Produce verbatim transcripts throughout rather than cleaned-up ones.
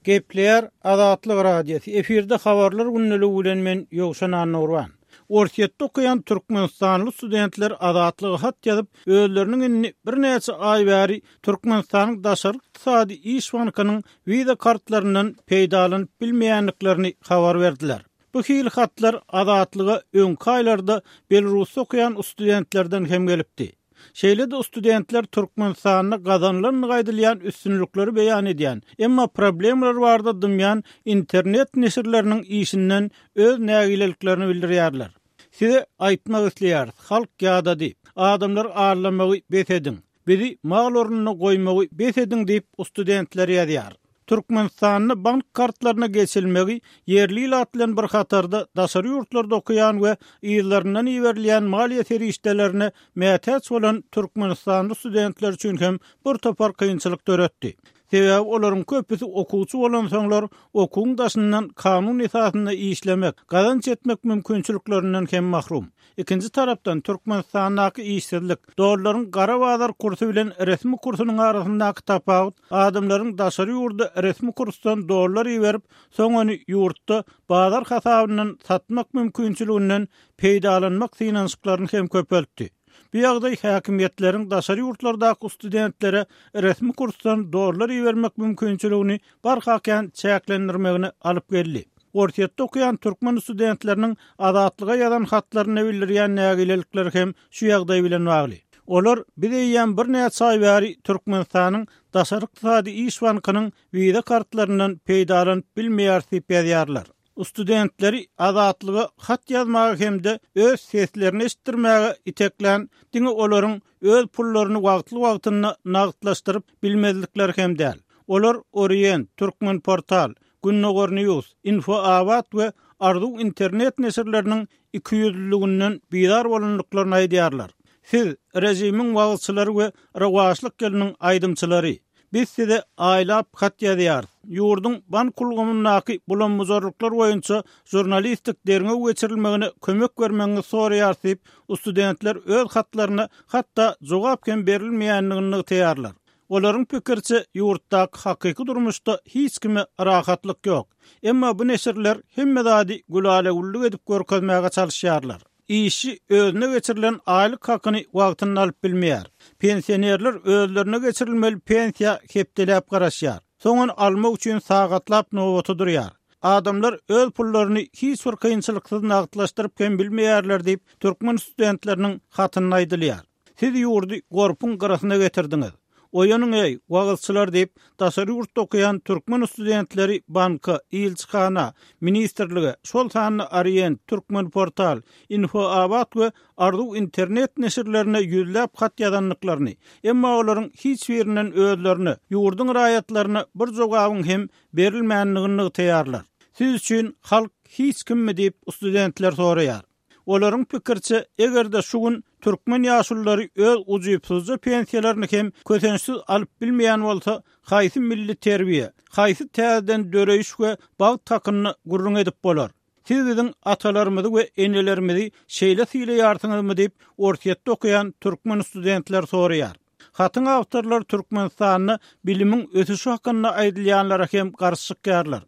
Gepleýär Azatlyk Radiosy. Efirde habarlar gündeligi bilen men Ýowşan Annagurban. Orsýetde okaýan türkmenistanly studentler Azatlyga hat ýazyp, özleriniň indi birnäçe aý bäri Türkmenistanyň Daşary ykdysady iş bankynyň wiza kartlaryndan peýdalanyp bilmeýändiklerini habar berdiler. Bu hili hatlar Azatlyga öňki aýlarda Belarusda okaýan studentlerden hem gelipdi. Şeýle-de studentler Türkmenistanda gazanylandygy aýdylýan üstünlikleri beýan edýän, emma problemalar barada dymýan internet neşirleriniň işinden öz nägileliklerini bildirýärler. Size aýtmak isleýäris, halk ýadady, adamlar aldamagy bes ediň, bizi mal ornuna goýmagy bes ediň diýip studentler ýazýar. Türkmenistanda bank kartlaryna geçilmegi ýerli ilat bilen bir hatarda daşary ýurtlarda okaýan we yzlaryndan iberilýän maliýe serişdelerine mätäç bolan türkmenistanly studentler üçin hem bir topar kynçylyk döretdi. Sebäbi olaryň köpüsi okuwçy bolansoňlar okuwyň daşyndan kanun esasynda işlemek, gazanç etmek mümkinçiliklerinden hem mahrum. Ikinji tarapdan Türkmenistandaky işsizlik, dollaryň gara bazar kursy bilen resmi kursunyň arasyndaky tapawut adamlaryň daşary ýurda resmi kursdan dollar iberip, soň ony ýurtda bazar hasabyndan satmak mümkinçiliginden peýdalanmak synanyşyklaryny hem köpeltdi. Bu ýagdaý häkimiýetleriň daşary ýurtlardaky studentlere resmi kursdan dollar ibermek mümkinçiligini barha kän çäklendirmegine alyp geldi. Orsýetde okaýan türkmen studentleriniň Azatlyga ýazan hatlaryny bildirýän nägilelikler hem şu ýagdaý bilen bagly. Olar biz eýýäm birnäçe aý bäri Türkmenistanyň Daşary ykdysady iş bankynyň wiza kartlaryndan peýdalanyp bilmeýär diýip ýazýarlar. Studentleri Azatlyga hat ýazmaga hem-de öz seslerini eşitdirmäge iteklän diňe olaryň öz pullaryny wagtly-wagtynda nagtlaşdyryp bilmezlikleri hem däl. Olar Orient, Türkmen Portal, Gündogar News, Info Abat we Arzuw internet neşirleriniň iki ýüzlülüginden bizar bolandyklaryny aýdýarlar. Siz režimiň wagyzçylary we rowaçlyk ýylynyň aýdymçylary. Biz size aýlap hat ýazýarys. Ýurduň bank ulgamyndaky bulam-buzarlyklar boýunça žurnalistik derňew geçirilmegine kömek bermegiňizi soraýarys diýip, studentler öz hatlaryna hatda jogap hem berilmeýändigini nygtaýarlar. Olaryň pikiriçe ýurtdaky hakyky durmuşda hiç kime rahatlyk ýok. Emma bu neşirler hemme zady gülala-güllük edip görkezmäge çalyşýarlar. Işçi özüne geçirilen aýlyk hakyny wagtynda alyp bilmeýär. Pensionerler özlerine geçirilmeli pensiýa hepdeläp garaşýar. Soň ony almak üçin sagatlap nobata durýar. Adamlar öz pullaryny hiç bir kynçylyksyz nagtlaşdyryp hem bilmeýärler diýip, türkmen studentleriniň hatynda aýdylýar. Siz ýurdy gorpuň gyrasyna getirdiňiz. Oýanyň eý, wagyzçylar diýip, daşary ýurtda okaýan türkmen studentleri banka, ilçihana, ministrlige, şol sanda Orient, Türkmen Portal, Info Abat we Arzuw internet neşirlerine ýüzläp hat ýazandyklaryny, emma olaryň hiç birinden özlerine, ýurduň raýatlaryna bir jogabyň hem berilmändigini nygtaýarlar. Siz üçin halk hiç kimmi diýip studentler soraýar. Olaryň pikiriçe, eger-de şu gün türkmen ýaşululary öz ujypsyzja pensiýalaryny hem kösençsiz alyp bilmeýän bolsa, haýsy milli terbiýe, haýsy täzeden döreýiş we bagt hakynda gürrüň edip bolar? Siz biziň atalarymyzy we enelerimizi şeýle sylaýarsyňyzmy diýip, Orsýetde okaýan türkmen studentler soraýar. Hatyň awtorlary Türkmenistanda bilimiň ösüşi hakynda aýdylýanlara hem garşy çykýarlar.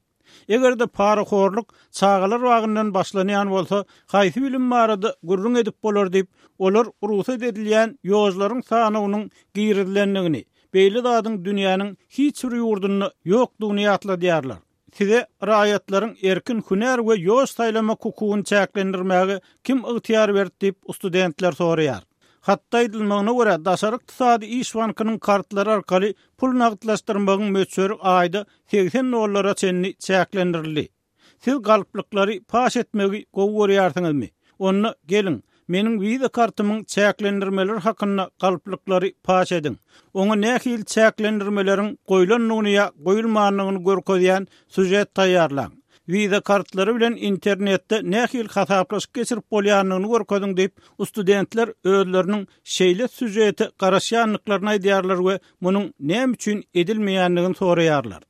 Eger-de parahorluk çagalar bagyndan başlanýan bolsa, haýsy bilim barada gürrüň edip bolar diýip, olar rugsat edilýän ýolcularyň sanynyň girizilendigini, beýle zadyň dünýäniň hiç bir ýurdunda ýokdugyny ýatladýarlar. Size raýatlaryň erkin hünär we ýol saýlamak hukugyny çäklendirmäge kim ygtyýar berdi diýip studentler soraýar. Hatda aýdylmagyna görä, Daşary ykdysady iş bankynyň kartlary arkaly pul nagtlaşdyrmagyň möçberi aýda segsen dollara çenli çäklendirildi. Siz galplyklary paş etmegi gowy görýärsiňizmi? Onda geliň, meniň wiza kartymyň çäklendirmeleri hakynda galplyklary paş ediň. Oňa nähili çäklendirmeleriň goýlandygyny ýa goýulmandygyny görkezýän süjet taýýarlaň. Wiza kartlary bilen internetde nähili hasaplaşyk geçirip bolýandygyny görkeziň diýip, studentler özleriniň şeýle süjete garaşýandyklaryny aýdýarlar we munuň näme üçin edilmeýändigini soraýarlar.